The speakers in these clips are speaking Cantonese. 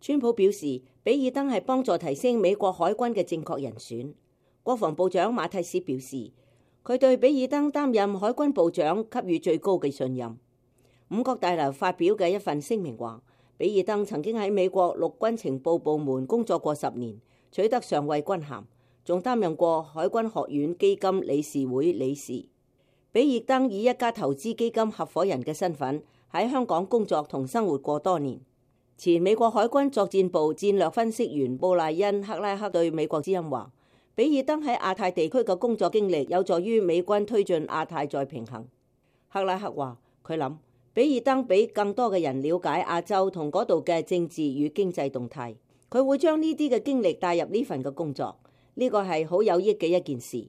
川普表示，比爾登係幫助提升美國海軍嘅正確人選。國防部長馬蒂斯表示，佢對比爾登擔任海軍部長給予最高嘅信任。五角大樓發表嘅一份聲明話，比爾登曾經喺美國陸軍情報部門工作過10年，取得上尉軍銜，仲擔任過海軍學院基金理事會理事。比爾登以一家投資基金合夥人嘅身份喺香港工作同生活過多年。前美國海軍作戰部戰略分析員布賴恩·克拉克對美國之音話，比爾登喺亞太地區嘅工作經歷有助於美軍推進亞太再平衡。克拉克話，佢諗比爾登比更多嘅人了解亞洲同嗰度嘅政治與經濟動態，佢會將呢啲嘅經歷帶入呢份嘅工作，呢個係好有益嘅一件事，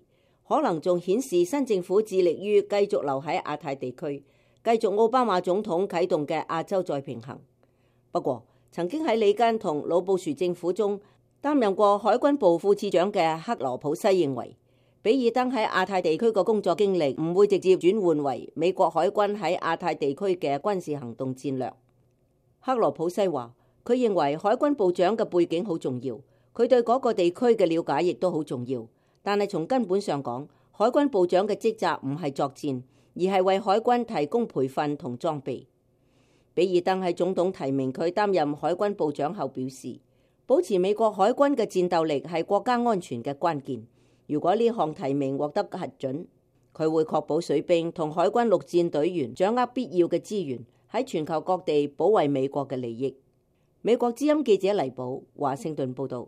可能仲顯示新政府致力於繼續留喺亞太地區，繼續奧巴馬總統啟動嘅亞洲再平衡。不過，曾經喺里根同老布殊政府中擔任過海軍部副次長嘅克羅普西認為，比爾登喺亞太地區嘅工作經歷唔會直接轉換為美國海軍喺亞太地區嘅軍事行動戰略。克羅普西話，佢認為海軍部長嘅背景好重要，佢對嗰個地區嘅了解亦都好重要，但係從根本上講，海軍部長嘅職責唔係作戰，而係為海軍提供培訓同裝備。比爾登喺總統提名佢擔任海軍部長後表示，保持美國海軍嘅戰鬥力係國家安全嘅關鍵。如果呢項提名獲得核准，佢會確保水兵同海軍陸戰隊員掌握必要嘅資源，喺全球各地保衛美國嘅利益。美國之音記者黎寶華盛頓報道。